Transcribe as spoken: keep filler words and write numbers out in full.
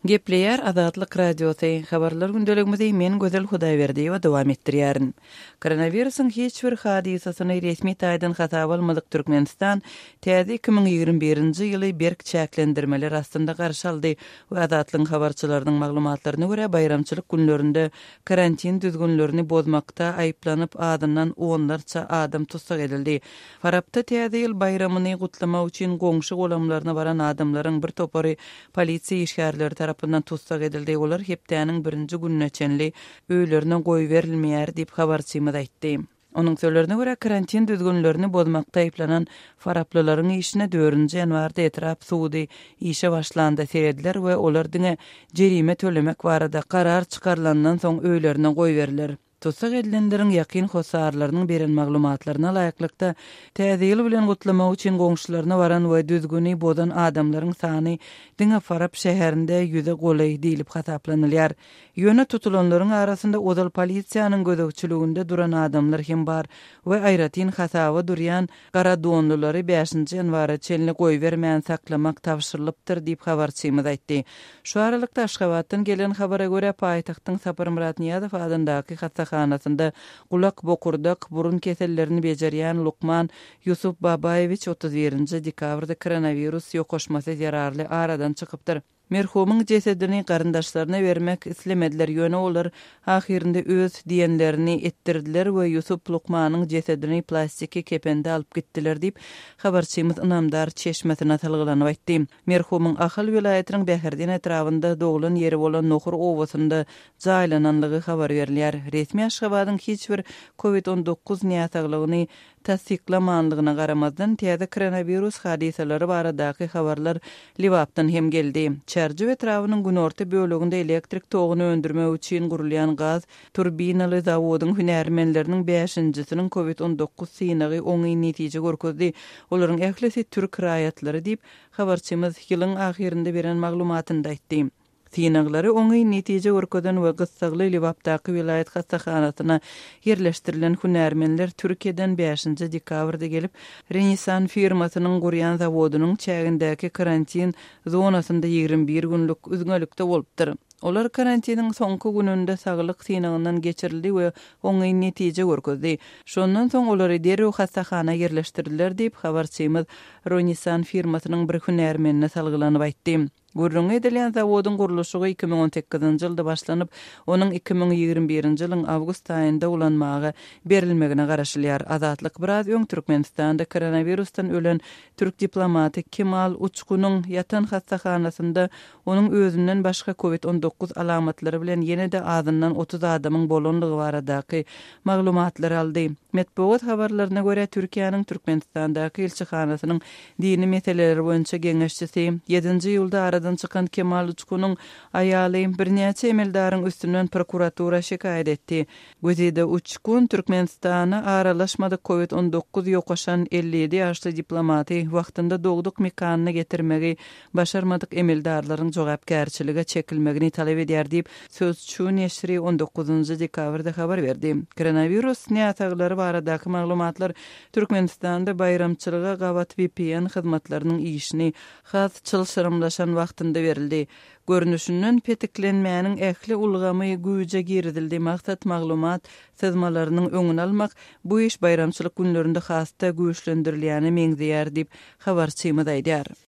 Gepleýär Azatlyk Radiosy, Habarlar gündeligimizi men Gözel Hudaýberdiýewa dowam etdirýärin. Koronawirusyň hiç bir hadysasyny resmi taýdan hasaba almadyk Türkmenistan täze iki müň ýigrimi birinji ýyly berk çäklendirmeler astynda garşy aldy we Azatlygyň habarçylarynyň maglumatlaryna görä, baýramçylyk günlerinde karantin düzgünlerini bozmakda aýyplanyp azyndan onlarça adam tussag edildi. Farapda Täze ýyl baýramyny gutlamak üçin goňşy-golamlaryna baran adamlaryň bir topary polisiýa işgärleri tarapyndan tussag edildi, olar hepdäniň birinji gününe çenli öýlerine goýberilmeýär diýip, habarçymyz aýtdy. Onuň sözlerine görä, karantin düzgünlerini bozmakda aýyplanan faraplylaryň işine dördünji ýanwarda etrap sudy işe başlanda serediler we olar diňe jerime tölemek barada karar çykarylandan soň öýlerine goýberiler. Tussag edilenleriň ýakyn hossarlarynyň beren maglumatlaryna laýyklykda, Täze ýyl bilen gutlamak üçin goňşularyna baran we düzgüni bozan adamlaryň sany diňe Farap şäherinde ýüze golaý diýlip hasaplanylýar. Ýöne tutulanlaryň arasynda ozal polisiýanyň gözegçiliginde duran adamlar hem bar we aýratyn hasaba durýan gara donlulary bäşinji ýanwara çenli goýbermän saklamak tabşyrylypdyr diýip, habarçymyz aýtdy. Şu aralykda, Aşgabatdan gelen habara görä, paýtagtyň Saparmyrat Nyýazow adyndaky hassahanasynda gulak, bokurdak, burun kesellerini bejerýän lukman Ýusup Babaýewiç otuz birinji dekabrda koronawirus ýokaşmasy zerarly aradan çykypdyr. Merhumyň jesedini garyndaşlaryna bermek islemediler, ýöne olar ahyrynda öz diýenlerini etdirdiler we Ýusup lukmanyň jesedini plastiki kepende alyp gitdiler diýip, habarçymyz ynamdar çeşmesine salgylanyp aýtdy. Merhumyň Ahal welaýatynyň Bäherden etrabynda doglan ýeri bolan Nohur obasynda jaýlananlygy habar berilýär. Resmi Aşgabadyň hiç bir Covid on dokuz näsaglygyny tassyklamanlygyna garamazdan, täze koronawirus hadysalary baradaky habarlar Lebapdan hem geldi. Çärjew etrabynyň günorta böleginde elektrik toguny öndürmek üçin gurulýan gaz turbinaly zawodyň hünärmenleriniň bäşinjisiniň Covid on dokuz synagy oňyn netije görkezdi. Olaryň ählisi türk raýatlary diýip, habarçymyz ýylyň ahyrynda beren maglumatynda aýtdy. Synaglary oňyn netije görkezen we gyssagly Lebapdaky welaýat hassahanasyna ýerleşdirilen hünärmenler Türkiýeden bäşinji dekabrda gelip, Renisan firmasynyň gurýan zawodynyň çägindäki karantin zonasynda ýigrimi bir günlük üzňelikde bolupdyr. Olar karantiniň soňky gününde saglyk synagyndan geçirildi we oňyn netije görkezdi. Şondan soň olary derrew hassahana ýerleşdirdiler diýip, habarçymyz Ronisan firmasynyň bir hünärmenine salgylanyp aýtdy. Gürrüňi edilýän zawodyň gurluşygy iki müň on sekizinji ýylda başlanyp, onuň iki müň ýigrimi birinji ýylyň awgust aýynda ulanmaga berilmegine garaşylýar. Azatlyk biraz öň Türkmenistanda koronawirusdan ölen türk diplomaty Kemal Uçkunyň ýatan hassahanasynda onuň özünden başga covid on dokuz alamatlary bilen ýene-de azyndan otuz adamyň bolanlygy baradaky maglumatlary aldy. Metbugat habarlaryna görä, Türkiýäniň Türkmenistandaky ilçihanasynyň dini meseleler boýunça geňeşçisi, ýedinji iýulda aradan çykan Kemal Uçkunyň aýaly birnäçe emeldaryň üstünden prokuratura şikaýat etdi. Güzide Uçkun Türkmenistana aralaşmadyk covid on dokuz ýokaşan elli ýedi ýaşly diplomaty wagtynda dogduk mekanyna getirmegi başarmadyk emeldarlaryň jogapkärçilige çekilmegini talap edýär diýip, Sözçü neşiri on dokuzynjy dekabrda habar berdi. Koronawirus näsaglary baradaky maglumatlar Türkmenistanda baýramçylyga gabat V P N hyzmatlarynyň işini has çylşyrymlaşan wagtynda berildi. Görnüşinden petiklenmäniň ähli ulgamy güýje girizildi, maksat maglumat syzmalarynyň öňüni almak, bu iş baýramçylyk günlerinde has-da güýçlendirilýäne meňzeýär diýip, habarçymyz aýdýar.